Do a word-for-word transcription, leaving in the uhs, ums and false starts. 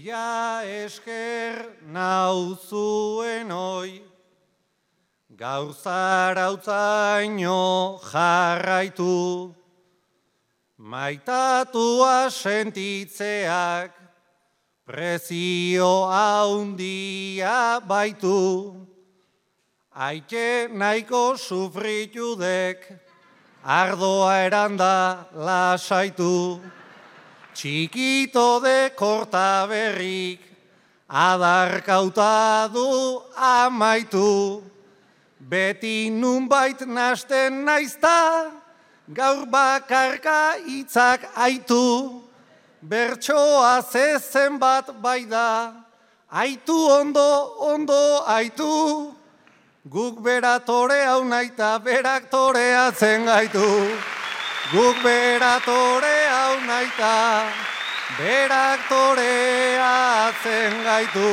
Mila esker nauzuen oi, gaur zarautzaino jarraitu, maitatua sentitzeak prezio haundia baitu, aike nahiko sufritudek, ardoa eranda lasaitu, txikito de korta berrik, adarkauta du amaitu, beti nunbait nasten naizta, gaur bakarka hitzak aitu, bertsoa zezen bat bai da, aitu ondo, ondo aitu, guk beratore hau naita, berak toreatzen gaitu. Guk beratore hau naita, berak toreatzen gaitu.